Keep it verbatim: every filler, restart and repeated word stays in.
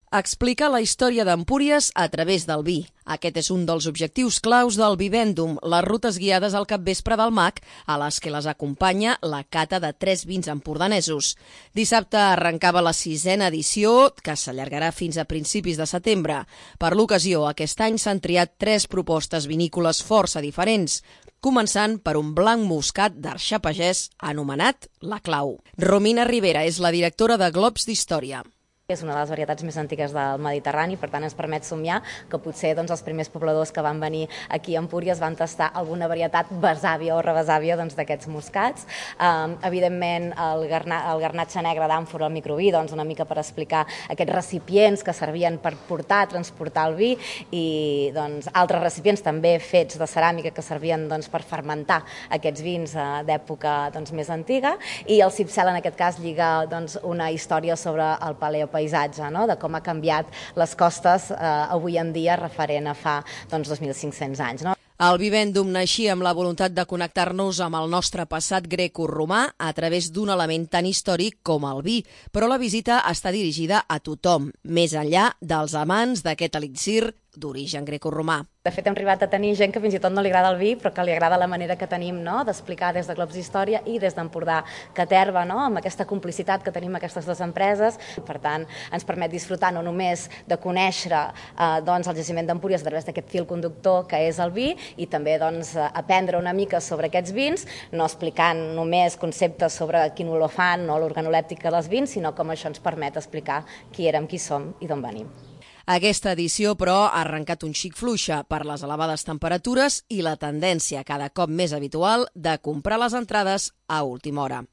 Explicar la història d'Empúries a través del vi. Aquest és un dels objectius claus del Vivendum, les rutes guiades al capvespre del Mag, a les que les acompanya la cata de tres vins empordanesos. Dissabte arrencava la sisena edició, que s'allargarà fins a principis de setembre. Per l'ocasió, aquest any s'han triat tres propostes vinícoles força diferents, començant per un blanc moscat d'Arxà Pagès anomenat La Clau. Romina Rivera és la directora de Globs d'Història. És una de les varietats més antigues del Mediterrani, per tant ens permet somiar que potser doncs, els primers pobladors que van venir aquí a Empúries van tastar alguna varietat besàvia o rebesàvia doncs, d'aquests moscats. Um, evidentment, el, garna, el garnatge negre d'àmfora, el microví, doncs, una mica per explicar aquests recipients que servien per portar, transportar el vi, i doncs, altres recipients també fets de ceràmica que servien doncs, per fermentar aquests vins uh, d'època doncs, més antiga, i el cipcel en aquest cas lliga doncs, una història sobre el paleopaisatge, paisatge, no? De com ha canviat les costes eh, avui en dia referent a fa doncs, dos mil cinc-cents anys. No? El Vivendum naixia amb la voluntat de connectar-nos amb el nostre passat greco-romà a través d'un element tan històric com el vi, però la visita està dirigida a tothom, més enllà dels amants d'aquest elixir d'origen greco-romà. De fet, hem arribat a tenir gent que fins i tot no li agrada el vi, però que li agrada la manera que tenim no? d'explicar des de Globs d'Història i des d'Empordà Caterva, no? amb aquesta complicitat que tenim aquestes dues empreses. Per tant, ens permet disfrutar no només de conèixer eh, doncs, el jaciment d'Empúries a través d'aquest fil conductor que és el vi, i també doncs, aprendre una mica sobre aquests vins, no explicant només conceptes sobre quin olor fan o l'organolèptica dels vins, sinó com això ens permet explicar qui érem, qui som i d'on venim. Aquesta edició, però, ha arrencat un xic fluixa per les elevades temperatures i la tendència cada cop més habitual de comprar les entrades a última hora.